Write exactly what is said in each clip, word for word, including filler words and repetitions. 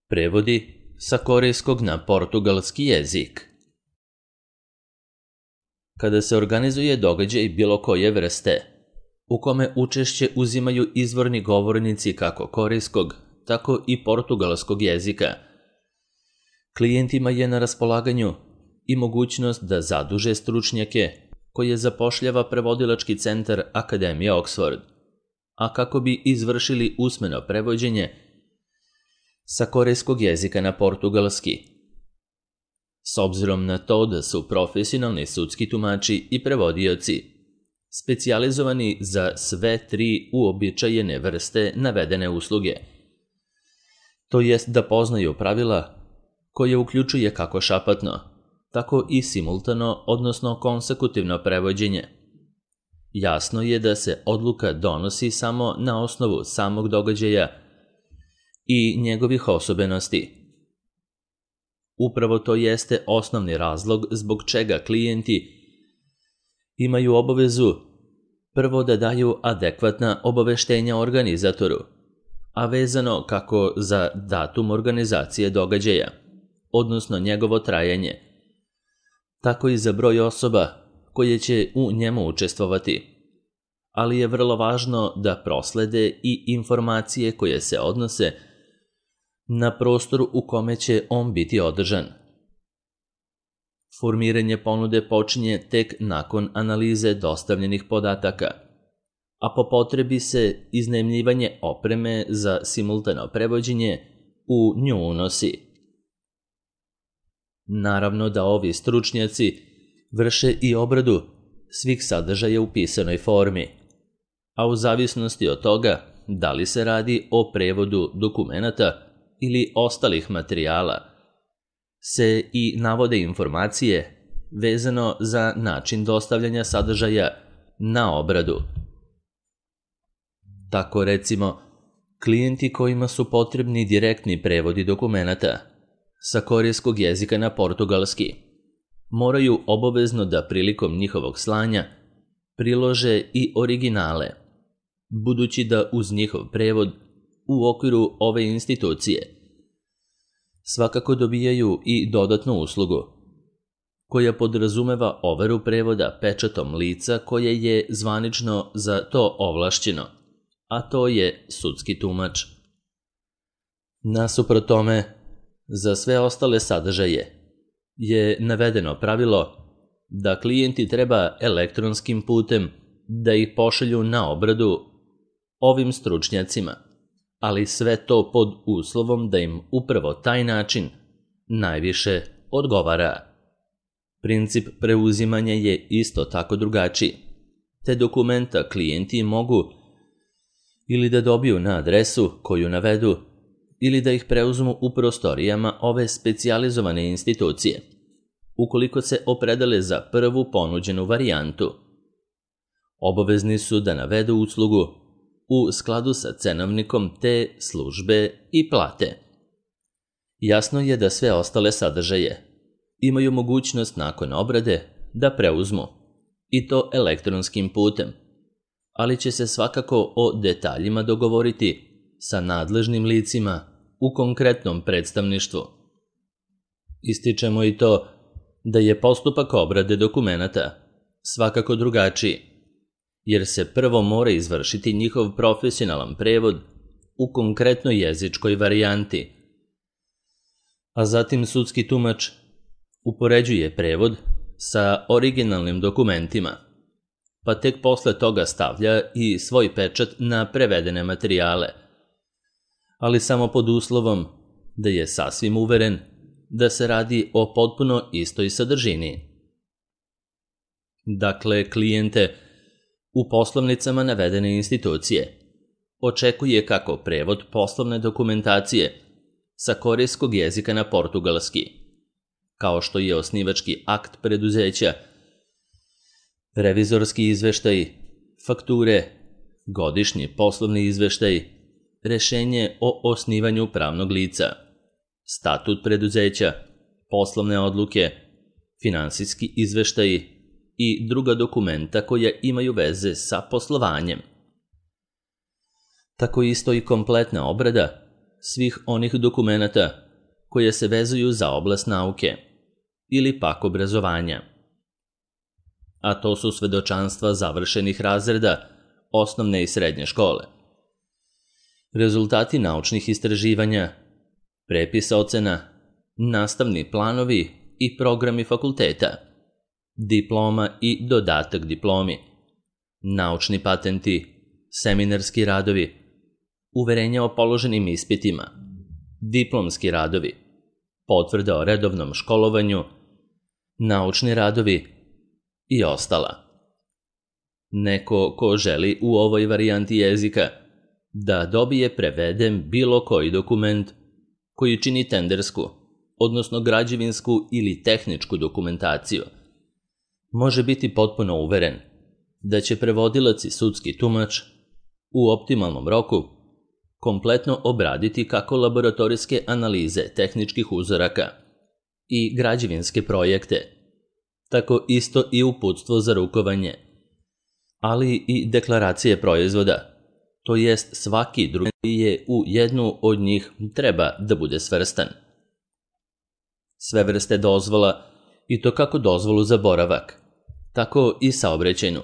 Prevodi sa korejskog na portugalski jezik. Kada se organizuje događaj bilo koje vrste, u kome učešće uzimaju izvorni govornici kako korejskog, tako i portugalskog jezika, klijentima je na raspolaganju i mogućnost da zaduže stručnjake koje zapošljava prevodilački centar Akademije Oxford, a kako bi izvršili usmeno prevođenje sa korejskog jezika na portugalski. S obzirom na to da su profesionalni sudski tumači i prevodioci specijalizovani za sve tri uobičajene vrste navedene usluge, to jest da poznaju pravila koje uključuje kako šapatno, tako i simultano, odnosno konsekutivno prevođenje. Jasno je da se odluka donosi samo na osnovu samog događaja i njegovih osobenosti. Upravo to jeste osnovni razlog zbog čega klijenti imaju obavezu prvo da daju adekvatna obaveštenja organizatoru, a vezano kako za datum organizacije događaja, odnosno njegovo trajanje, tako i za broj osoba koje će u njemu učestvovati, ali je vrlo važno da proslede i informacije koje se odnose na prostoru u kome će on biti održan. Formiranje ponude počinje tek nakon analize dostavljenih podataka, a po potrebi se iznajmljivanje opreme za simultano prevođenje u nju unosi. Naravno da ovi stručnjaci vrše i obradu svih sadržaja u pisanoj formi, a u zavisnosti od toga da li se radi o prevodu dokumenata ili ostalih materijala, se i navode informacije vezano za način dostavljanja sadržaja na obradu. Tako recimo, klijenti kojima su potrebni direktni prevodi dokumenata sa korejskog jezika na portugalski moraju obavezno da prilikom njihovog slanja prilože i originale, budući da uz njihov prevod u okviru ove institucije svakako dobijaju i dodatnu uslugu, koja podrazumeva overu prevoda pečatom lica koje je zvanično za to ovlašćeno, a to je sudski tumač. Nasuprot tome, za sve ostale sadržaje je navedeno pravilo da klijenti treba elektronskim putem da ih pošalju na obradu ovim stručnjacima, ali sve to pod uslovom da im upravo taj način najviše odgovara. Princip preuzimanja je isto tako drugačiji, te dokumenta klijenti mogu ili da dobiju na adresu koju navedu, ili da ih preuzmu u prostorijama ove specijalizovane institucije, ukoliko se opredele za prvu ponuđenu varijantu. Obavezni su da navedu uslugu u skladu sa cenovnikom te službe i plate. Jasno je da sve ostale sadržaje imaju mogućnost nakon obrade da preuzmu, i to elektronskim putem, ali će se svakako o detaljima dogovoriti sa nadležnim licima u konkretnom predstavništvu. Ističemo i to da je postupak obrade dokumenata svakako drugačiji, jer se prvo mora izvršiti njihov profesionalan prevod u konkretnoj jezičkoj varijanti, a zatim sudski tumač upoređuje prevod sa originalnim dokumentima, pa tek posle toga stavlja i svoj pečat na prevedene materijale, ali samo pod uslovom da je sasvim uveren da se radi o potpuno istoj sadržini. Dakle, klijente u poslovnicama navedene institucije očekuje kako prevod poslovne dokumentacije sa korejskog jezika na portugalski, kao što je osnivački akt preduzeća, revizorski izveštaj, fakture, godišnji poslovni izveštaj, rešenje o osnivanju pravnog lica, statut preduzeća, poslovne odluke, finansijski izveštaji i druga dokumenta koja imaju veze sa poslovanjem. Tako isto i kompletna obrada svih onih dokumenata koje se vezuju za oblast nauke ili pak obrazovanja. A to su svedočanstva završenih razreda osnovne i srednje škole, rezultati naučnih istraživanja, prepis ocena, nastavni planovi i programi fakulteta, diploma i dodatak diplomi, naučni patenti, seminarski radovi, uverenja o položenim ispitima, diplomski radovi, potvrda o redovnom školovanju, naučni radovi i ostala. Neko ko želi u ovoj varijanti jezika da dobije preveden bilo koji dokument koji čini tendersku, odnosno građevinsku ili tehničku dokumentaciju, može biti potpuno uveren da će prevodilac i sudski tumač u optimalnom roku kompletno obraditi kako laboratorijske analize tehničkih uzoraka i građevinske projekte, tako isto i uputstvo za rukovanje, ali i deklaracije proizvoda, to jest svaki drugi je u jednu od njih treba da bude svrstan. Sve vrste dozvola, i to kako dozvolu za boravak, tako i saobraćajnu,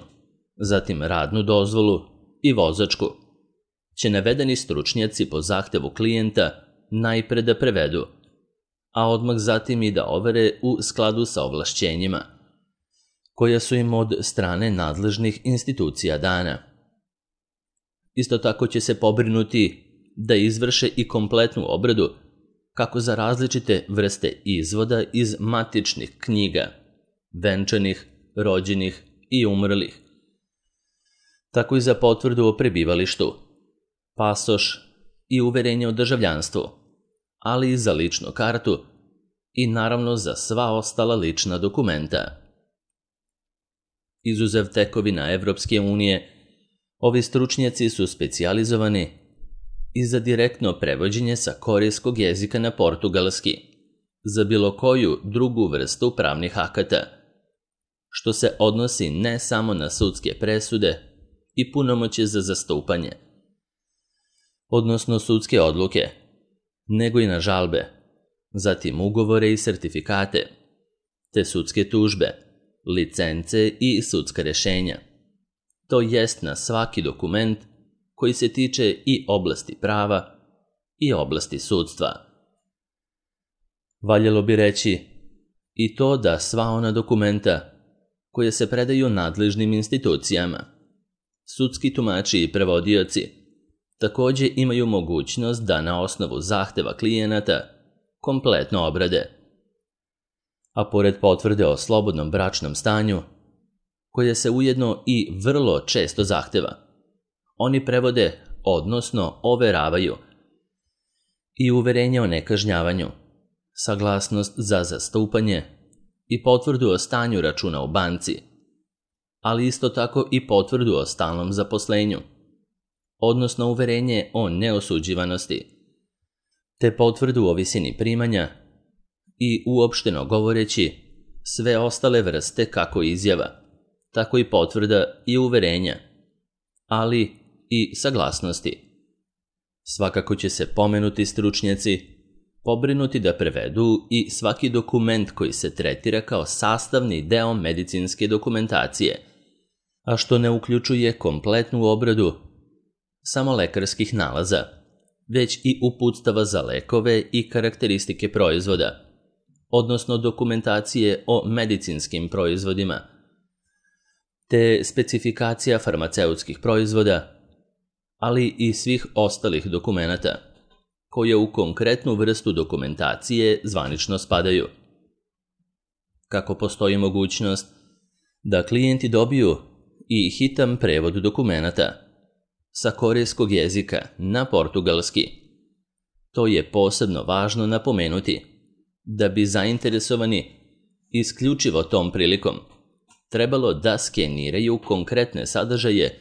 zatim radnu dozvolu i vozačku, će navedeni stručnjaci po zahtevu klijenta najpre da prevedu, a odmah zatim i da overe u skladu sa ovlašćenjima, koja su im od strane nadležnih institucija dana. Isto tako će se pobrinuti da izvrše i kompletnu obradu kako za različite vrste izvoda iz matičnih knjiga, venčanih, rođenih i umrlih, tako i za potvrdu o prebivalištu, pasoš i uverenje o državljanstvu, ali i za ličnu kartu i naravno za sva ostala lična dokumenta. Izuzev tekovina Evropske unije, ovi stručnjaci su specijalizovani i za direktno prevođenje sa korejskog jezika na portugalski, za bilo koju drugu vrstu pravnih akata, što se odnosi ne samo na sudske presude i punomoćje za zastupanje, odnosno sudske odluke, nego i na žalbe, zatim ugovore i sertifikate, te sudske tužbe, licence i sudska rešenja. To jest na svaki dokument koji se tiče i oblasti prava i oblasti sudstva. Valjalo bi reći i to da sva ona dokumenta koje se predaju nadležnim institucijama, sudski tumači i prevodioci, takođe imaju mogućnost da na osnovu zahteva klijenata kompletno obrade. A pored potvrde o slobodnom bračnom stanju, koje se ujedno i vrlo često zahteva, oni prevode, odnosno overavaju, i uverenje o nekažnjavanju, saglasnost za zastupanje i potvrdu o stanju računa u banci, ali isto tako i potvrdu o stalnom zaposlenju, odnosno uverenje o neosuđivanosti, te potvrdu o visini primanja i uopšteno govoreći sve ostale vrste kako izjava, tako i potvrda i uverenja, ali i saglasnosti. Svakako će se pomenuti stručnjaci pobrinuti da prevedu i svaki dokument koji se tretira kao sastavni deo medicinske dokumentacije, a što ne uključuje kompletnu obradu samo lekarskih nalaza, već i uputstava za lekove i karakteristike proizvoda, odnosno dokumentacije o medicinskim proizvodima, te specifikacija farmaceutskih proizvoda, ali i svih ostalih dokumenata, koje u konkretnu vrstu dokumentacije zvanično spadaju. Kako postoji mogućnost da klijenti dobiju i hitan prevod dokumenata sa korejskog jezika na portugalski, to je posebno važno napomenuti da bi zainteresovani isključivo tom prilikom trebalo da skeniraju konkretne sadržaje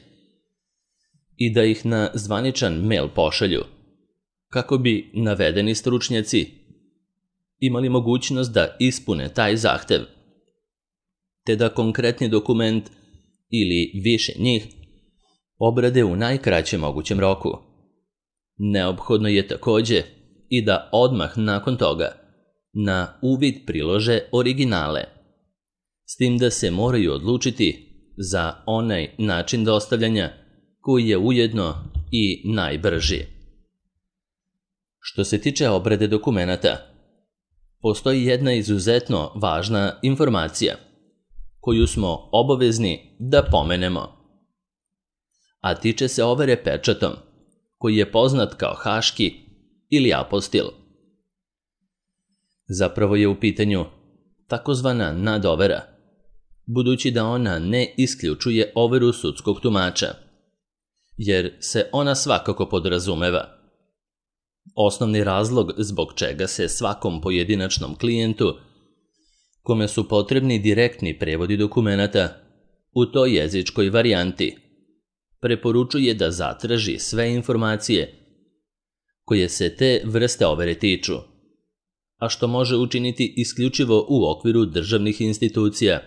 i da ih na zvaničan mail pošalju, kako bi navedeni stručnjaci imali mogućnost da ispune taj zahtev, te da konkretni dokument ili više njih obrade u najkraćem mogućem roku. Neophodno je takođe i da odmah nakon toga na uvid prilože originale, s tim da se moraju odlučiti za onaj način dostavljanja koji je ujedno i najbrži. Što se tiče obrade dokumenata, postoji jedna izuzetno važna informacija koju smo obavezni da pomenemo, a tiče se overe pečatom, koji je poznat kao haški ili apostil. Zapravo je u pitanju takozvana nadovera, budući da ona ne isključuje overu sudskog tumača, jer se ona svakako podrazumeva. Osnovni razlog zbog čega se svakom pojedinačnom klijentu, kome su potrebni direktni prevodi dokumenata u toj jezičkoj varijanti, preporučuje da zatraži sve informacije koje se te vrste overe tiču, a što može učiniti isključivo u okviru državnih institucija,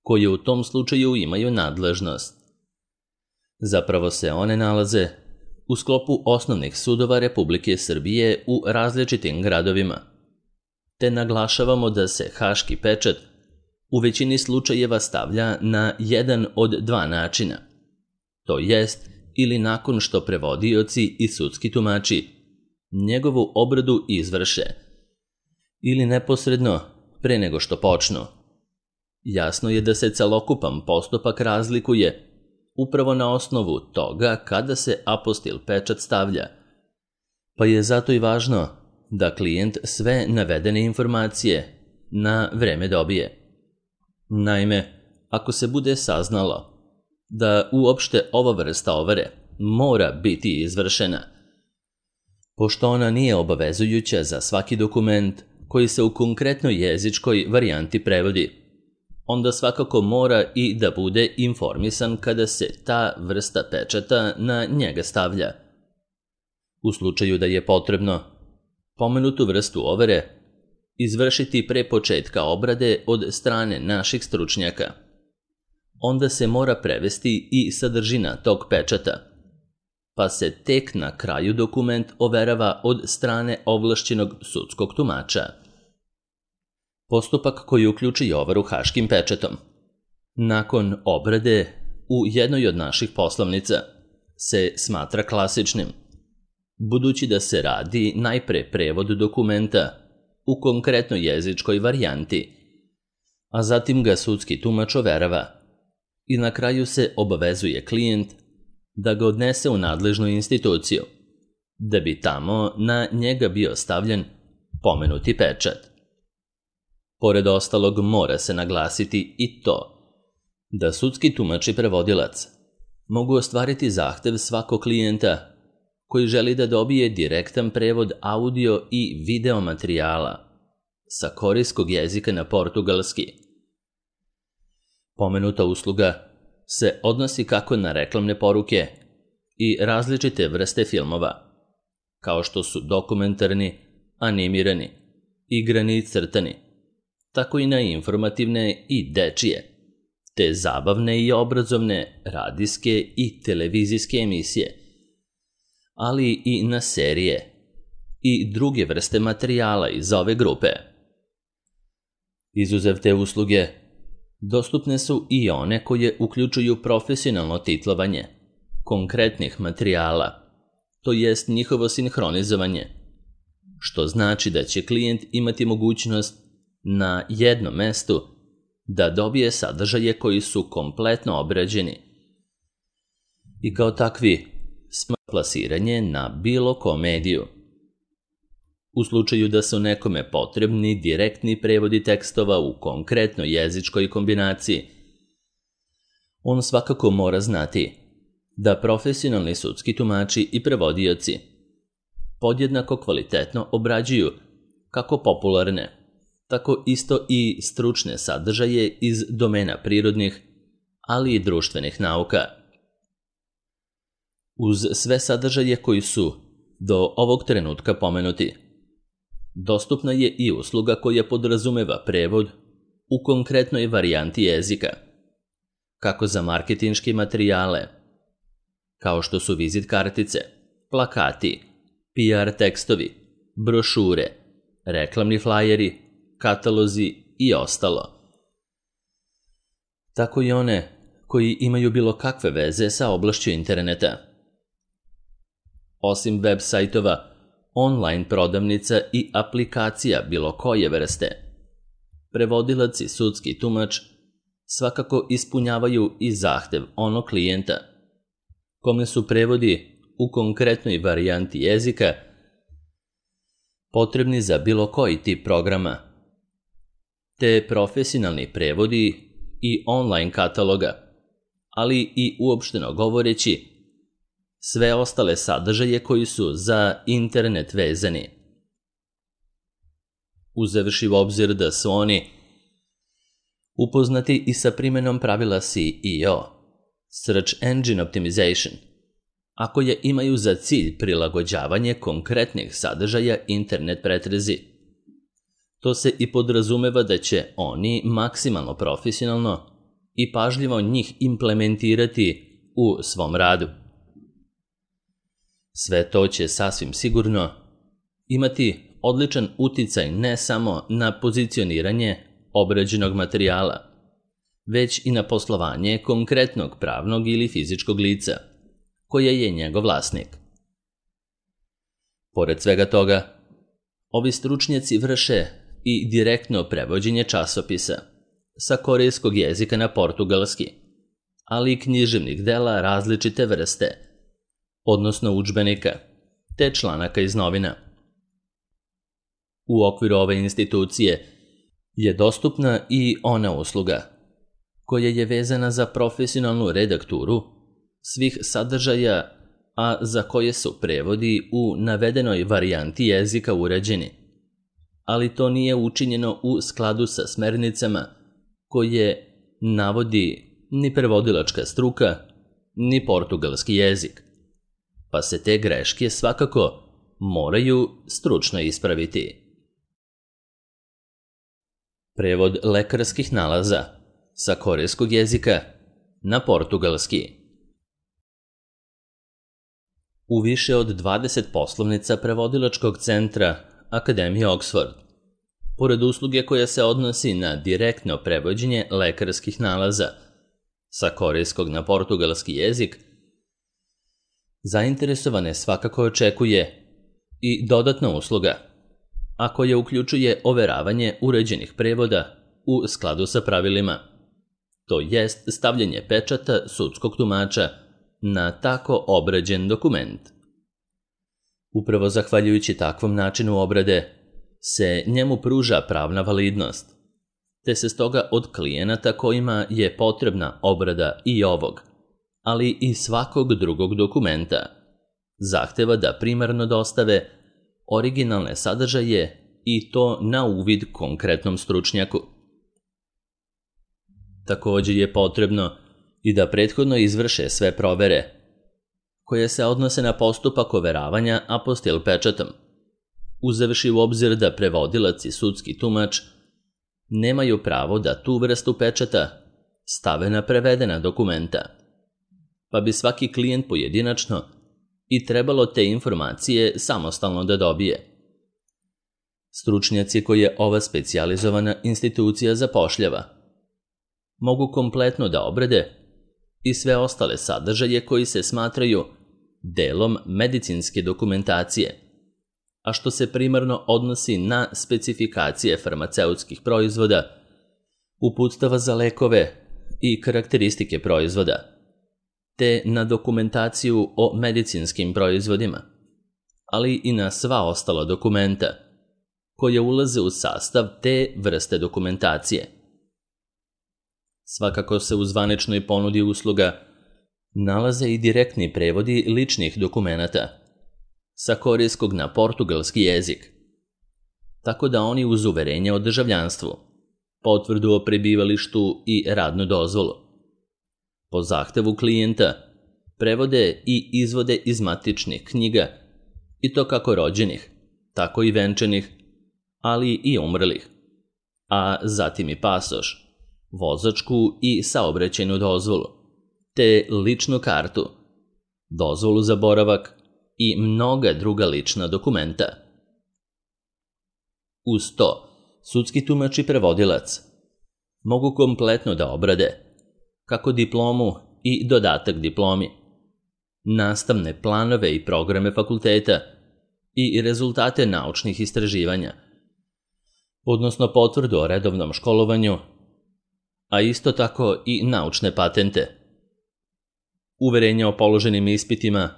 koje u tom slučaju imaju nadležnost. Zapravo se one nalaze u sklopu osnovnih sudova Republike Srbije u različitim gradovima, te naglašavamo da se haški pečat u većini slučajeva stavlja na jedan od dva načina, to jest ili nakon što prevodioci i sudski tumači njegovu obradu izvrše, ili neposredno pre nego što počnu. Jasno je da se celokupan postupak razlikuje upravo na osnovu toga kada se apostil pečat stavlja, pa je zato i važno da klijent sve navedene informacije na vreme dobije. Naime, ako se bude saznalo da uopšte ova vrsta overe mora biti izvršena, pošto ona nije obavezujuća za svaki dokument koji se u konkretnoj jezičkoj varijanti prevodi, onda svakako mora i da bude informisan kada se ta vrsta pečata na njega stavlja. U slučaju da je potrebno pomenutu vrstu overe izvršiti pre početka obrade od strane naših stručnjaka, onda se mora prevesti i sadržina tog pečata, pa se tek na kraju dokument overava od strane ovlašćenog sudskog tumača. Postupak koji uključuje overu haškim pečatom, nakon obrade u jednoj od naših poslovnica, se smatra klasičnim, budući da se radi najpre prevod dokumenta u konkretnoj jezičkoj varijanti, a zatim ga sudski tumač overava i na kraju se obavezuje klijent da ga odnese u nadležnu instituciju, da bi tamo na njega bio stavljen pomenuti pečat. Pored ostalog, mora se naglasiti i to da sudski tumač i prevodilac mogu ostvariti zahtev svakog klijenta koji želi da dobije direktan prevod audio i video materijala sa korejskog jezika na portugalski. Pomenuta usluga se odnosi kako na reklamne poruke i različite vrste filmova, kao što su dokumentarni, animirani, igrani i crtani, tako i na informativne i dečije, te zabavne i obrazovne radijske i televizijske emisije, ali i na serije i druge vrste materijala iz ove grupe. Izuzev te usluge, dostupne su i one koje uključuju profesionalno titlovanje konkretnih materijala, to jest njihovo sinhronizovanje, što znači da će klijent imati mogućnost na jednom mestu da dobije sadržaje koji su kompletno obrađeni i kao takvi smo plasiranje na bilo kom mediju. U slučaju da su nekome potrebni direktni prevodi tekstova u konkretnoj jezičkoj kombinaciji, on svakako mora znati da profesionalni sudski tumači i prevodioci podjednako kvalitetno obrađuju kako popularne, tako isto i stručne sadržaje iz domena prirodnih, ali i društvenih nauka. Uz sve sadržaje koji su do ovog trenutka pomenuti, dostupna je i usluga koja podrazumeva prevod u konkretnoj varijanti jezika, kako za marketinške materijale, kao što su vizit kartice, plakati, P R tekstovi, brošure, reklamni flajeri, katalozi i ostalo. Tako i one koji imaju bilo kakve veze sa oblašću interneta. Osim web sajtova, online prodavnica i aplikacija bilo koje vrste, prevodilac i sudski tumač svakako ispunjavaju i zahtev onog klijenta, kome su prevodi u konkretnoj varijanti jezika potrebni za bilo koji tip programa, te profesionalni prevodi i online kataloga, ali i uopšteno govoreći sve ostale sadržaje koji su za internet vezani. Uzevši u obzir da su oni upoznati i sa primenom pravila S E O, Search Engine Optimization, a koje imaju za cilj prilagođavanje konkretnih sadržaja internet pretrezi. To se i podrazumeva da će oni maksimalno profesionalno i pažljivo njih implementirati u svom radu. Sve to će sasvim sigurno imati odličan uticaj ne samo na pozicioniranje obrađenog materijala, već i na poslovanje konkretnog pravnog ili fizičkog lica, koje je njegov vlasnik. Pored svega toga, ovi stručnjaci vrše i direktno prevođenje časopisa sa korejskog jezika na portugalski, ali i književnih dela različite vrste, odnosno udžbenika, te članaka iz novina. U okviru ove institucije je dostupna i ona usluga, koja je vezana za profesionalnu redakturu svih sadržaja, a za koje su prevodi u navedenoj varijanti jezika urađeni, ali to nije učinjeno u skladu sa smernicama koje navodi ni prevodilačka struka, ni portugalski jezik, pa se te greške svakako moraju stručno ispraviti. Prevod lekarskih nalaza sa korejskog jezika na portugalski. U više od dvadeset poslovnica prevodilačkog centra Akademije Oxford, pored usluge koja se odnosi na direktno prevođenje lekarskih nalaza sa korejskog na portugalski jezik, zainteresovane svakako očekuje i dodatna usluga, a koja uključuje overavanje uređenih prevoda u skladu sa pravilima, to jest stavljanje pečata sudskog tumača na tako obrađen dokument. Upravo zahvaljujući takvom načinu obrade se njemu pruža pravna validnost, te se stoga od klijenata kojima je potrebna obrada i ovog, ali i svakog drugog dokumenta, zahteva da primarno dostave originalne sadržaje i to na uvid konkretnom stručnjaku. Također je potrebno i da prethodno izvrše sve provere, koje se odnose na postupak overavanja apostil pečatom, uzevši u obzir da prevodilac i sudski tumač nemaju pravo da tu vrstu pečata stave na prevedena dokumenta, pa bi svaki klijent pojedinačno i trebalo te informacije samostalno da dobije. Stručnjaci koje ova specijalizovana institucija zapošljava mogu kompletno da obrade i sve ostale sadržaje koji se smatraju delom medicinske dokumentacije, a što se primarno odnosi na specifikacije farmaceutskih proizvoda, uputstava za lekove i karakteristike proizvoda, te na dokumentaciju o medicinskim proizvodima, ali i na sva ostala dokumenta koje ulaze u sastav te vrste dokumentacije. Svakako se u zvaničnoj ponudi usluga nalaze i direktni prevodi ličnih dokumenata sa korejskog na portugalski jezik, tako da oni uz uverenje o državljanstvu, potvrdu o prebivalištu i radnu dozvolu, po zahtevu klijenta prevode i izvode iz matičnih knjiga, i to kako rođenih, tako i venčanih, ali i umrlih, a zatim i pasoš, vozačku i saobraćajnu dozvolu, te ličnu kartu, dozvolu za boravak i mnoga druga lična dokumenta. Uz to, sudski tumač i prevodilac mogu kompletno da obrade kako diplomu i dodatak diplomi, nastavne planove i programe fakulteta i rezultate naučnih istraživanja, odnosno potvrdu o redovnom školovanju, a isto tako i naučne patente, uverenja o položenim ispitima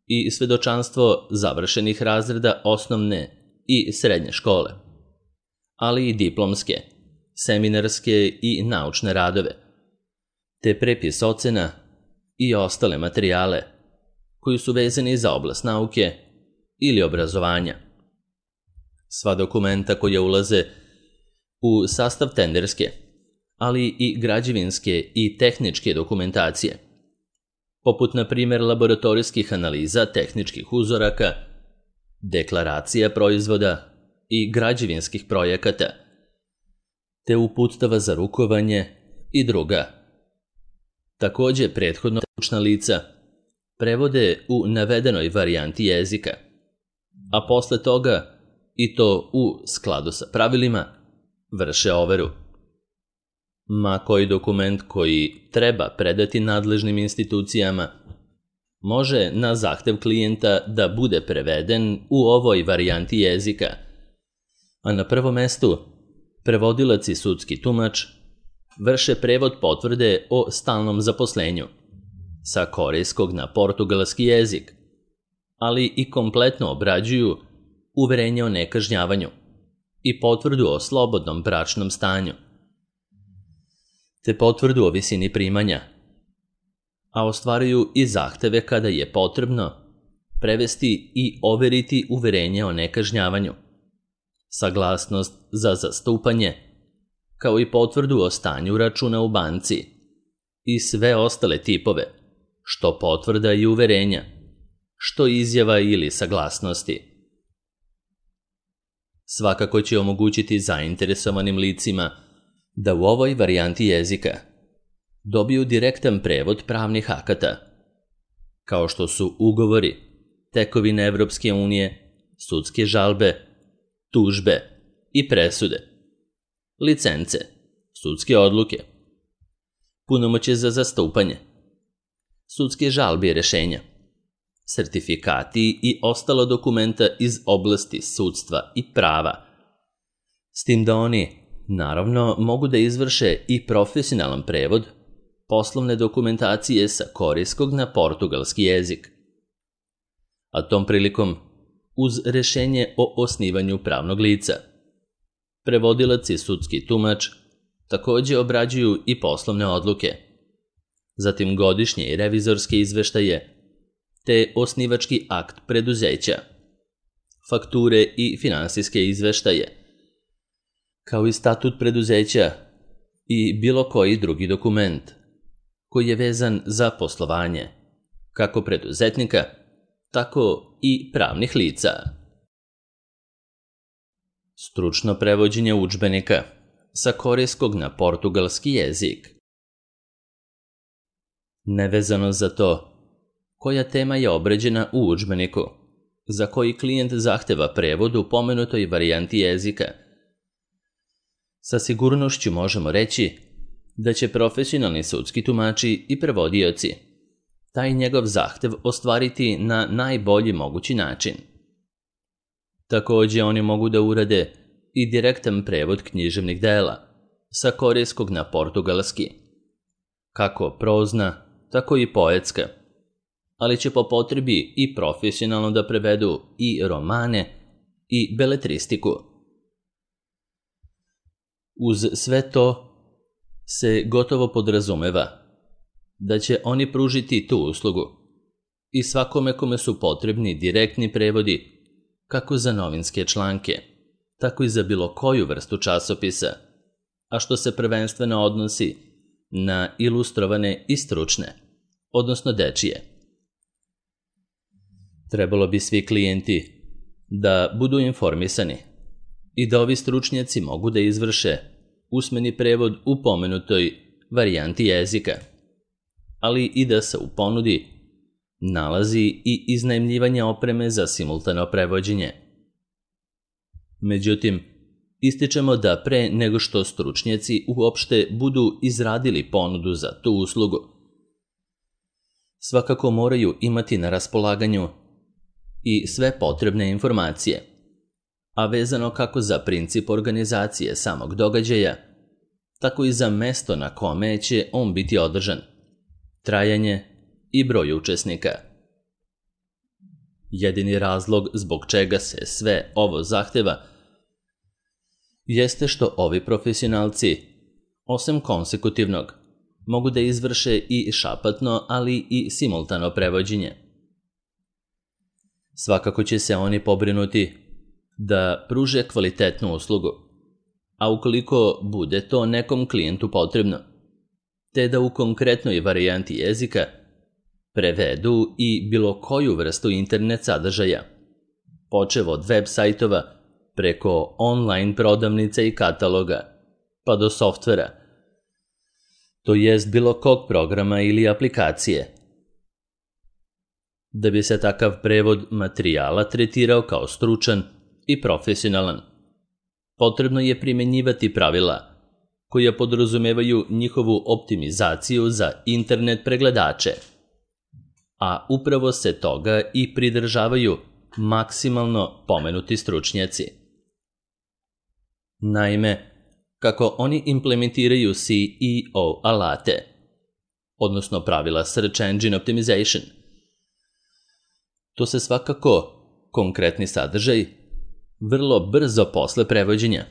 i svedočanstvo završenih razreda osnovne i srednje škole, ali i diplomske, seminarske i naučne radove, te prepis ocena i ostale materijale koji su vezani za oblast nauke ili obrazovanja. Sva dokumenta koja ulaze u sastav tenderske, ali i građevinske i tehničke dokumentacije, poput na primjer laboratorijskih analiza tehničkih uzoraka, deklaracija proizvoda i građevinskih projekata, te uputstava za rukovanje i druga. Također prethodno stručna lica prevode u navedenoj varijanti jezika, a posle toga, i to u skladu sa pravilima, vrše overu. Ma koji dokument koji treba predati nadležnim institucijama može na zahtev klijenta da bude preveden u ovoj varijanti jezika, a na prvom mestu prevodilac i sudski tumač vrše prevod potvrde o stalnom zaposlenju sa korejskog na portugalski jezik, ali i kompletno obrađuju uverenje o nekažnjavanju i potvrdu o slobodnom bračnom stanju, te potvrdu o visini primanja, a ostvaruju i zahteve kada je potrebno prevesti i overiti uverenje o nekažnjavanju, saglasnost za zastupanje, kao i potvrdu o stanju računa u banci i sve ostale tipove, što potvrda i uverenja, što izjava ili saglasnosti. Svakako će omogućiti zainteresovanim licima da u ovoj varijanti jezika dobiju direktan prevod pravnih akata, kao što su ugovori, tekovine Evropske unije, sudske žalbe, tužbe i presude, licence, sudske odluke, punomoćje za zastupanje, sudske žalbe i rešenja, sertifikati i ostalo dokumenta iz oblasti sudstva i prava, s tim da oni, naravno, mogu da izvrše i profesionalan prevod poslovne dokumentacije sa korejskog na portugalski jezik. A tom prilikom, uz rešenje o osnivanju pravnog lica, prevodilac i sudski tumač također obrađuju i poslovne odluke, zatim godišnje i revizorske izveštaje, te osnivački akt preduzeća, fakture i finansijske izveštaje, kao i statut preduzeća i bilo koji drugi dokument koji je vezan za poslovanje, kako preduzetnika, tako i pravnih lica. Stručno prevođenje udžbenika sa korejskog na portugalski jezik. Nevezano za to koja tema je obrađena u udžbeniku, za koji klijent zahteva prevod u pomenutoj varijanti jezika, sa sigurnošću možemo reći da će profesionalni sudski tumači i prevodioci taj njegov zahtev ostvariti na najbolji mogući način. Također oni mogu da urade i direktan prevod književnih dela sa korejskog na portugalski, kako prozna, tako i poetska, ali će po potrebi i profesionalno da prevedu i romane i beletristiku. Uz sve to se gotovo podrazumeva da će oni pružiti tu uslugu i svakome kome su potrebni direktni prevodi kako za novinske članke, tako i za bilo koju vrstu časopisa, a što se prvenstveno odnosi na ilustrovane i stručne, odnosno dečije. Trebalo bi svi klijenti da budu informisani i da ovi stručnjaci mogu da izvrše usmeni prevod u pomenutoj varijanti jezika, ali i da se u ponudi nalazi i iznajmljivanje opreme za simultano prevođenje. Međutim, ističemo da pre nego što stručnjaci uopšte budu izradili ponudu za tu uslugu, svakako moraju imati na raspolaganju i sve potrebne informacije, a vezano kako za princip organizacije samog događaja, tako i za mesto na kome će on biti održan, trajanje i broj učesnika. Jedini razlog zbog čega se sve ovo zahteva jeste što ovi profesionalci, osim konsekutivnog, mogu da izvrše i šapatno, ali i simultano prevođenje. Svakako će se oni pobrinuti da pruže kvalitetnu uslugu, a ukoliko bude to nekom klijentu potrebno, te da u konkretnoj varijanti jezika prevedu i bilo koju vrstu internet sadržaja, počev od web sajtova preko online prodavnica i kataloga, pa do softvera, to jest bilo kog programa ili aplikacije. Da bi se takav prevod materijala tretirao kao stručan i profesionalan, potrebno je primenjivati pravila koja podrazumevaju njihovu optimizaciju za internet pregledače, a upravo se toga i pridržavaju maksimalno pomenuti stručnjaci. Naime, kako oni implementiraju C E O alate, odnosno pravila Search Engine Optimization, to se svakako konkretni sadržaj vrlo brzo posle prevođenja,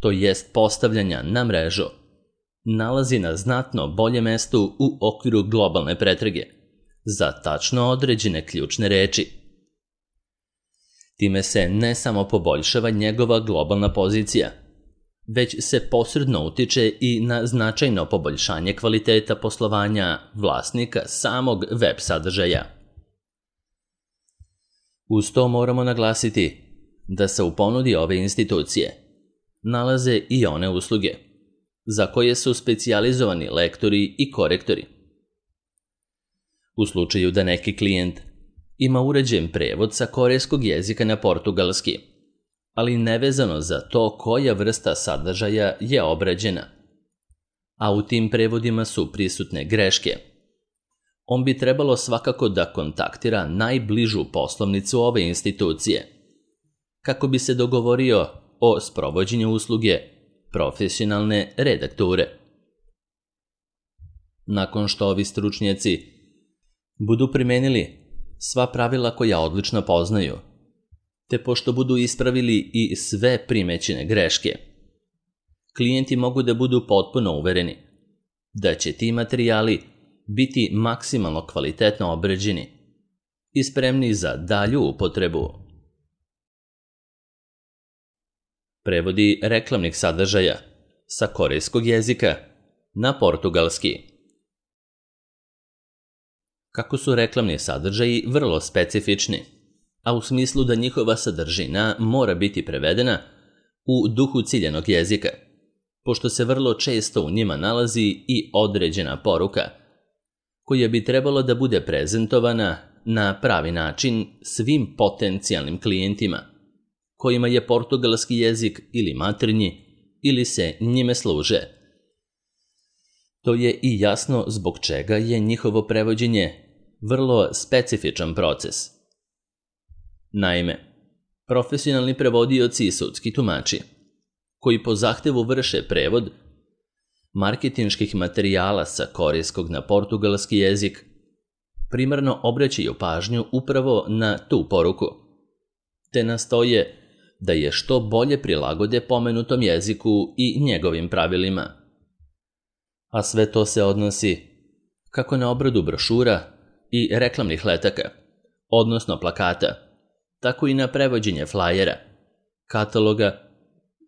to jest postavljanja na mrežu, nalazi na znatno bolje mestu u okviru globalne pretrage za tačno određene ključne reči. Time se ne samo poboljšava njegova globalna pozicija, već se posredno utiče i na značajno poboljšanje kvaliteta poslovanja vlasnika samog web sadržaja. Uz to moramo naglasiti da se u ponudi ove institucije nalaze i one usluge za koje su specijalizovani lektori i korektori. U slučaju da neki klijent ima uređen prevod sa korejskog jezika na portugalski, ali nevezano za to koja vrsta sadržaja je obrađena, a u tim prevodima su prisutne greške, on bi trebalo svakako da kontaktira najbližu poslovnicu ove institucije, kako bi se dogovorio o sprovođenju usluge profesionalne redakture. Nakon što ovi stručnjaci budu primenili sva pravila koja odlično poznaju, te pošto budu ispravili i sve primećene greške, klijenti mogu da budu potpuno uvereni da će ti materijali biti maksimalno kvalitetno obrađeni i spremni za dalju upotrebu. Prevodi reklamnih sadržaja sa korejskog jezika na portugalski. Kako su reklamni sadržaji vrlo specifični, a u smislu da njihova sadržina mora biti prevedena u duhu ciljanog jezika, pošto se vrlo često u njima nalazi i određena poruka, koja bi trebalo da bude prezentovana na pravi način svim potencijalnim klijentima, kojima je portugalski jezik ili maternji ili se njime služe. To je i jasno zbog čega je njihovo prevođenje vrlo specifičan proces. Naime, profesionalni prevodioci i sudski tumači, koji po zahtevu vrše prevod marketinških materijala sa korejskog na portugalski jezik, primarno obraćaju pažnju upravo na tu poruku, te nastoje da je što bolje prilagode pomenutom jeziku i njegovim pravilima. A sve to se odnosi kako na obradu brošura i reklamnih letaka, odnosno plakata, tako i na prevođenje flajera, kataloga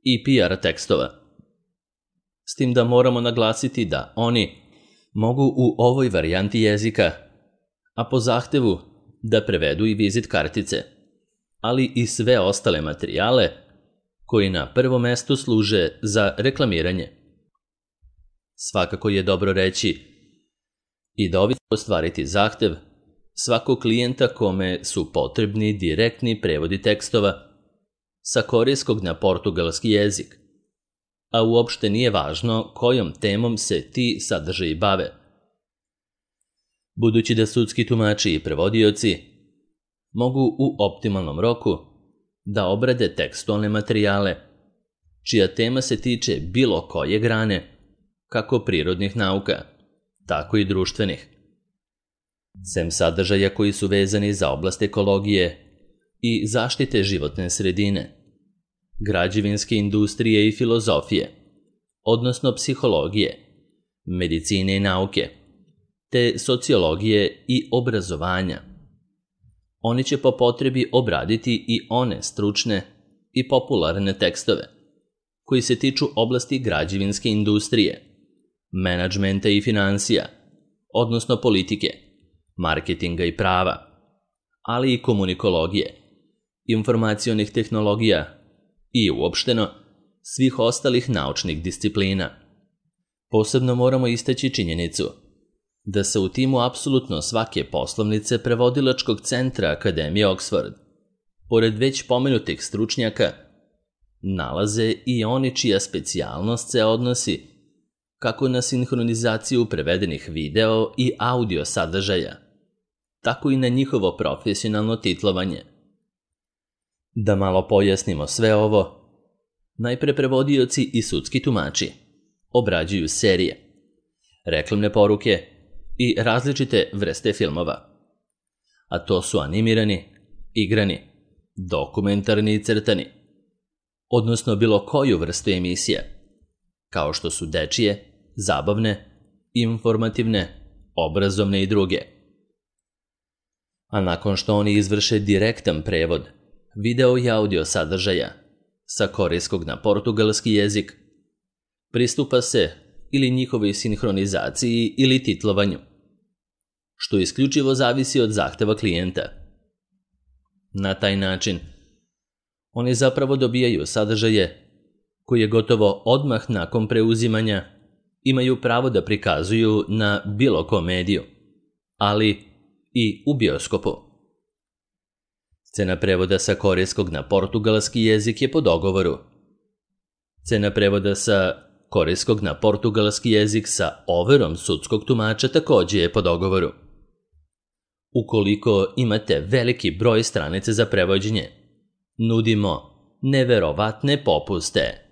i P R tekstova. S tim da moramo naglasiti da oni mogu u ovoj varijanti jezika, a po zahtevu da prevedu i vizit kartice, ali i sve ostale materijale koji na prvom mestu služe za reklamiranje. Svakako je dobro reći i da ovi ostvariti zahtev svakog klijenta kome su potrebni direktni prevodi tekstova sa korejskog na portugalski jezik, a uopšte nije važno kojom temom se ti sadržaji bave. Budući da sudski tumači i prevodioci mogu u optimalnom roku da obrade tekstualne materijale, čija tema se tiče bilo koje grane, kako prirodnih nauka, tako i društvenih. Sem sadržaja koji su vezani za oblast ekologije i zaštite životne sredine, građevinske industrije i filozofije, odnosno psihologije, medicine i nauke, te sociologije i obrazovanja. Oni će po potrebi obraditi i one stručne i popularne tekstove koji se tiču oblasti građevinske industrije, menadžmenta i finansija, odnosno politike, marketinga i prava, ali i komunikologije, informacionih tehnologija i uopšteno svih ostalih naučnih disciplina. Posebno moramo istaći činjenicu da se u timu apsolutno svake poslovnice prevodilačkog centra Akademije Oxford, pored već pomenutih stručnjaka, nalaze i oni čija specijalnost se odnosi kako na sinhronizaciju prevedenih video i audio sadržaja, tako i na njihovo profesionalno titlovanje. Da malo pojasnimo sve ovo, najpre prevodioci i sudski tumači obrađuju serije, reklamne poruke i različite vrste filmova, a to su animirani, igrani, dokumentarni i crtani, odnosno bilo koju vrstu emisija, kao što su dečije, zabavne, informativne, obrazovne i druge. A nakon što oni izvrše direktan prevod video i audio sadržaja sa korejskog na portugalski jezik, pristupa se ili njihovoj sinhronizaciji ili titlovanju, što isključivo zavisi od zahteva klijenta. Na taj način, oni zapravo dobijaju sadržaje koje gotovo odmah nakon preuzimanja imaju pravo da prikazuju na bilo kom mediju, ali i u bioskopu. Cena prevoda sa korejskog na portugalski jezik je po dogovoru. Cena prevoda sa korejskog na portugalski jezik sa overom sudskog tumača takođe je po dogovoru. Ukoliko imate veliki broj stranica za prevođenje, nudimo neverovatne popuste.